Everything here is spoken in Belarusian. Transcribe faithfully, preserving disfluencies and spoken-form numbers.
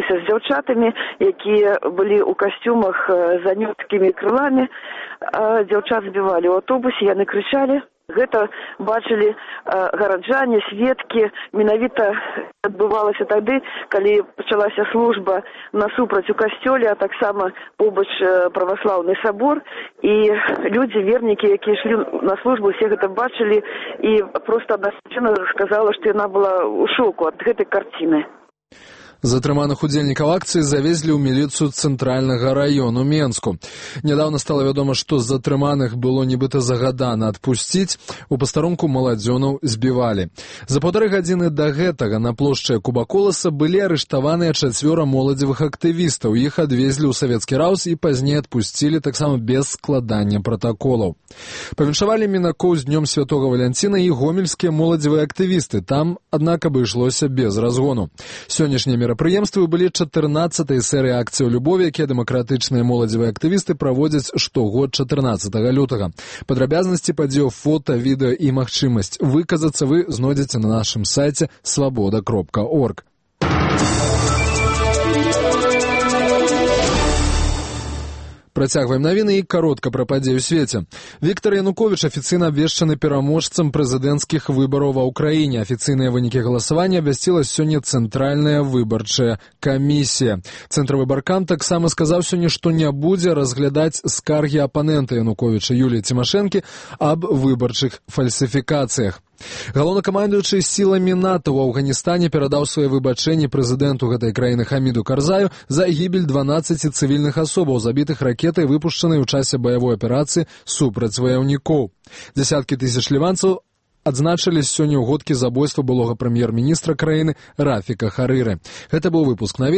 сустрэліся з дзяўчатамі, якія былі ў касцюмах з анёткімі крыламі. Дзяўчат збівалі ў аўтобусе, яны крычалі. Гэта бачылі гараджане, сведкі. Менавіта адбывалася тады, калі пачалася служба насупраць у касцёле, а таксама побач праваслаўны сабор. І людзі, вернікі, якія ішлі на службу, усе гэта бачылі. І проста адна жанчына сказала, што яна была ў шоку ад гэтай карціны. Затрыманых удзельнікаў акцыі завезлі ў міліцыю цэнтральнага раёну Менску. Нядаўна стала вядома, што затрыманых было нібыта загадана адпусціць, у пастарунку маладзёнаў збівалі. За паўтары гадзіны да гэтага на плошчы Кубаколаса былі арыштаваныя чацвёра моладзевых актывістаў. Іх адвезлі ў савецкі раус і пазней адпусцілі таксама без складання пратаколаў. Павіншавалі мінакоў з днём святога Валянціна і гомельскія моладзевыя актывісты. Там, аднак, абышлося без разгону. Сённяшнія мерапрыемствы былі чатырнаццатай серыі акцыяў любові, якія дэмакратычныя моладзевыя актывісты праводзяць штогод чатырнаццатага лютага. Падрабязнасці падзеяў, фота, відэа і магчымасць выказацца вы знойдзеце на нашым сайце свабода кропка орг. Працягваем навіны і каротка пра падзеі ў свеце. Віктор Януковіч афіцыйна абвешчаны пераможцам прэзідэнцкіх выбараў ва ўкраіне. Афіцыйныя вынікі галасавання абвясціла сёння Цэнтральная выбарчая камісія. Цэнтравы баркам таксама сказаў сёння, што не будзе разглядаць скаргі апанента Януковіча Юліі Цімашэнкі аб выбарчых фальсіфікацыях. Галоўнакамандуючы сіламі НАТО ў Афганістане перадаў свае выбачэнні прэзідэнту гэтай краіны Хаміду Карзаю за гібель дванаццаці цывільных асобаў, забітых ракетай, выпушчанай у часе баявой аперацыі супраць ваяўнікоў. Дзясяткі тысяч ліванцаў адзначылі сёння ў годкі забойства былога прэм'ер-міністра краіны Рафіка Харыры. Гэта быў выпуск навін.